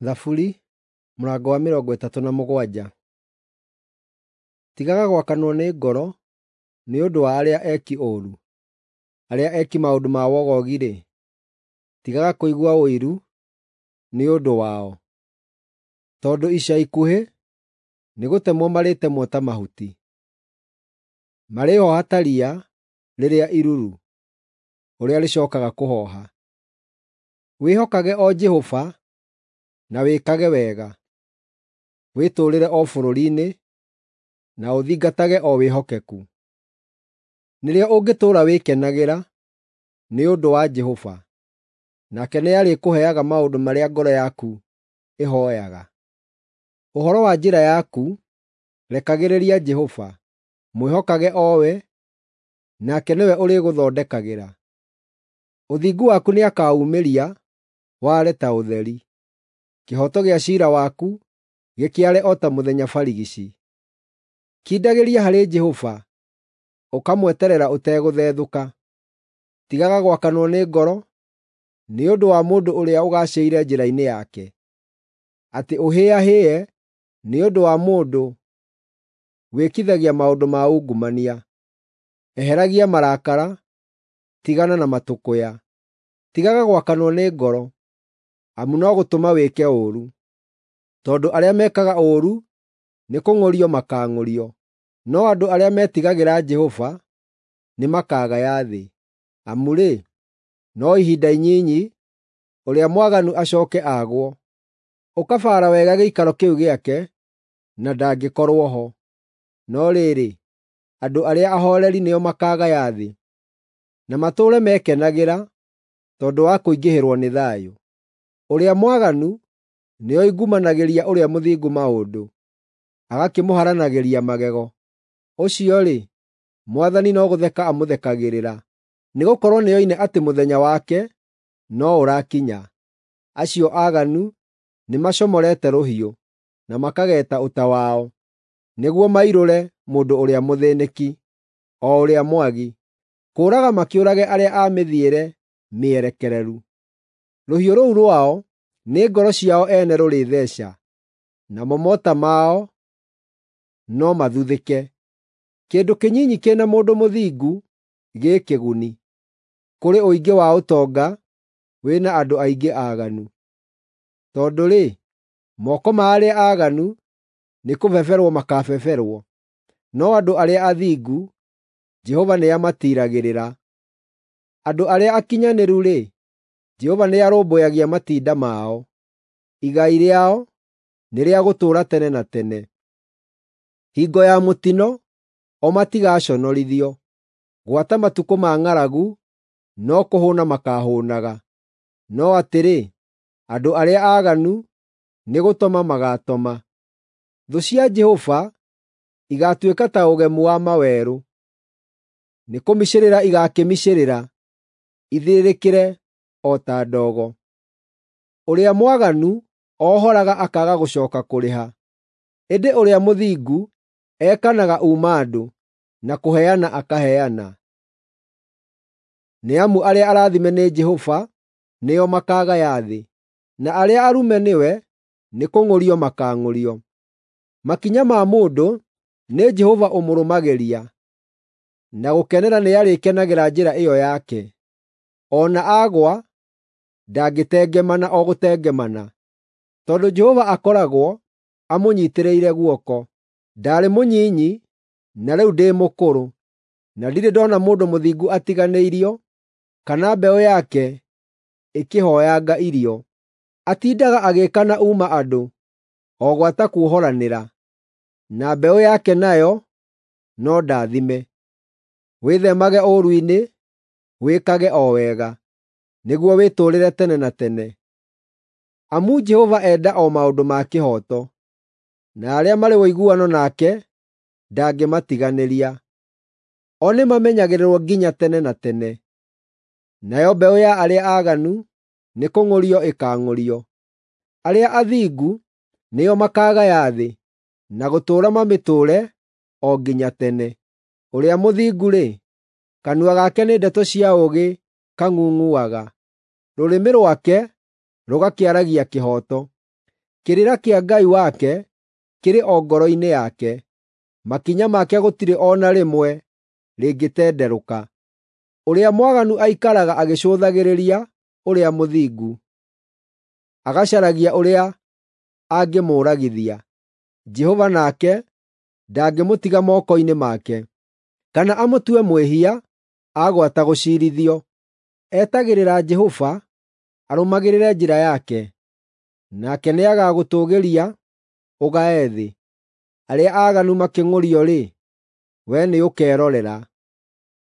Thaburi mũrango wa 37. Tigaga gwakanwo nĩ ngoro nĩ ũndũ wa arĩa eki ũũru, arĩa eki maũndũ ma wogogi-rĩ, tigaga kũigua ũiru nĩ ũndũ wao, tondũ ica ikuhĩ nĩgũtemwo marĩtemwo ta mahuti. Marĩhooha ta riya rĩrĩa iruru, ũrĩa rĩcookaga kũhooha. Wĩhokage o Jehova na wĩkage wega; wĩtũũrĩre o bũrũri-inĩ, na ũthingatage o wĩhokeku. Nĩrĩo ũngĩtũũra wĩkenagĩra nĩ ũndũ wa Jehova, nake nĩarĩkũheaga maũndũ marĩa ngoro yaku ĩhooyaga. Ũhoro wa njĩra yaku rekagĩrĩria Jehova; mwĩhokage o we, nake nĩwe ũrĩgũthondekagĩra. Ũthingu waku nĩakaumĩria ware ta ũtheri, kĩhooto gĩa ciira waku gĩkĩare o ta mũthenya barigici. Kindagĩria harĩ Jehova, ũkamweterera ũtegũthethũka. Tigaga gwakanwo nĩ ngoro nĩ ũndũ wa mũndũ ũrĩa ũgaacĩire njĩra-inĩ yake, atĩ ũhĩahĩe nĩ ũndũ wa mũndũ wĩkithagia maũndũ ma ungumania. Eheragia marakara, tigana na matũkũya. Tigaga gwakanwo nĩ ngoro, amu no gũtũma wĩke ũũru. Tondũ arĩa mekaga ũũru nĩkũng'ũrio makaang'ũrio, no andũ arĩa metigagĩra Jehova nĩmakagaya thĩ. Amu-rĩ, no ihinda inyinyi ũrĩa mwaganu acooke aagwo. Ũkabaara wega gĩikaro kĩu gĩake, na ndangĩkorwo ho. No rĩrĩ, andũ arĩa ahooreri nĩo makaagaya thĩ, na matũũre mekenagĩra tondũ wa kũingĩhĩrwo nĩ thayũ. Ũrĩa mwaganu nĩoingumanagĩria ũrĩa mũthingu maũndũ, agakĩmũharanagĩria magego. Ũcio-rĩ, Mwathani no gũtheka amũthekagĩrĩra, nĩgũkorwo nĩoine atĩ mũthenya wake no ũrakinya. Acio aaganu nĩmacomorete rũhiũ, na makageeta ũta wao, nĩguo mairũre mũndũ ũrĩa mũthĩĩnĩki, o ũrĩa mwagi, kũũraga makĩũrage arĩa a mĩthiĩre mĩerekereru. Rũhiũ rũu rwao nĩ ngoro ciao ene rũrĩtheeca, namo mota mao no mathuthĩke. Kĩndũ kĩnyinyi kĩ na mũndũ mũthingu gĩ kĩguni, kũrĩ ũingĩ wa ũtonga wĩ na andũ aingĩ aaganu. Tondũ-rĩ, moko ma arĩa aaganu nĩkũbeberwo makaabeberwo, no andũ arĩa athingu Jehova nĩamatiiragĩrĩra. Andũ arĩa akinyanĩru-rĩ, Jehova nĩarũmbũyagia matinda mao; igai rĩao nĩ rĩa gũtũũra tene na tene. Hingo ya mũtino o matigaconorithio, gwata matukũ ma ng'aragu no kũhũũna makaahũũnaga. No atĩrĩ, andũ arĩa aaganu nĩgũtoma magaatoma. Thũ cia Jehova igaatuĩka ta ũgemu wa mawerũ, nĩkũmicĩrĩra igaakĩmicĩrĩra, ithirĩrĩkĩre o ta ndogo. Ũrĩa mwaganu ohoraga akaaga gũcooka kũrĩha, ĩndĩ ũrĩa mũthingu ekanaga uuma-andũ, na kũheana akaheana. Nĩ amu arĩa arathime nĩ Jehova nĩo makaagaya thĩ, na arĩa arume nĩwe nĩkũng'ũrio makaang'ũrio. Makinya ma mũndũ nĩ Jehova ũmũrũmagĩria, na gũkenera nĩarĩkenagĩra njĩra ĩyo yake. O na aagũa, ndangĩtengemana o gũtengemana, tondũ Jehova akoragwo amũnyiitĩrĩire guoko. Ndaarĩ mũnyinyi na rĩu ndĩ mũkũrũ, na ndirĩ ndoona mũndũ mũthingu atiganĩirio, kana mbeũ yake ĩkĩhooyanga irio. Atindaga agĩĩkana uuma-andũ, o gwata kuohoranĩra, na mbeũ yake nayo no ndathime. Wĩtheemage ũũru-inĩ, wĩkage o wega, nĩguo wĩtũũrĩre tene na tene. Amu Jehova enda o maũndũ ma kĩhooto, na arĩa marĩ ũiguano nake ndangĩmatiganĩria. O nĩmamenyagĩrĩrwo nginya tene na tene, nayo mbeũ ya arĩa aaganu nĩkũng'ũrio ĩkaang'ũrio. Arĩa athingu nĩo makaagaya thĩ, na gũtũũra mamĩtũũre o nginya tene. Ũrĩa mũthingu-rĩ, kanua gake nĩ ndeto cia ũũgĩ kang'ung'uaga, rũrĩmĩ rwake rũgakĩaragia kĩhooto. Kĩrĩra kĩa Ngai wake kĩrĩ o ngoro-inĩ yake; makinya make gũtirĩ o na rĩmwe rĩngĩtenderũka. Ũrĩa mwaganu aikaraga agĩcũthagĩrĩria ũrĩa mũthingu, agacaragia ũrĩa angĩmũũragithia. Jehova nake ndangĩmũtiga moko-inĩ make, kana amũtue mwĩhia agwata gũciirithio. Etagĩrĩra Jehova, arũmagĩrĩre njĩra yake, nake nĩagagũtũũgĩria ũgae thĩ. Arĩa aaganu makĩng'ũrio-rĩ, wee nĩũkerorera.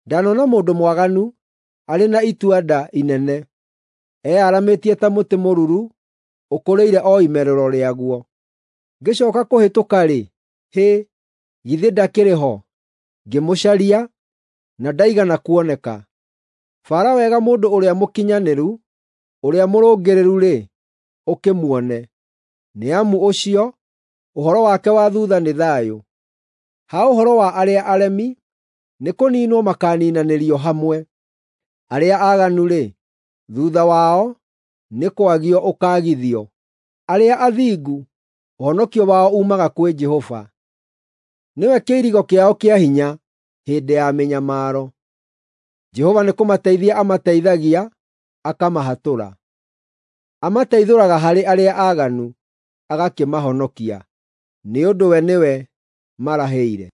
Ndanona mũndũ mwaganu arĩ na itua-nda inene, eyaramĩtie ta mũtĩ mũruru ũkũrĩire o imerero rĩaguo. Ngĩcooka kũhĩtũka-rĩ, hĩ, githĩ ndakĩrĩ ho! Ngĩmũcaria, na ndaigana kuoneka. Baara wega mũndũ ũrĩa mũkinyanĩru, ũrĩa mũrũngĩrĩru-rĩ, ũkĩmuone; nĩ amu ũcio, ũhoro wake wa thuutha nĩ thayũ. Ha ũhoro wa arĩa aremi, nĩkũniinwo makaaniinanĩrio hamwe; arĩa aaganu-rĩ, thuutha wao nĩ kwagio ũkaagithio. Arĩa athingu, ũhonokio wao uumaga kwĩ Jehova; nĩwe kĩirigo kĩao kĩa hinya hĩndĩ ya mĩnyamaro. Jehova nĩkũmateithia amateithagia, akamahatũra. Amateithũraga harĩ arĩa aaganu, agakĩmahonokia, nĩ ũndũ we nĩwe marahĩire.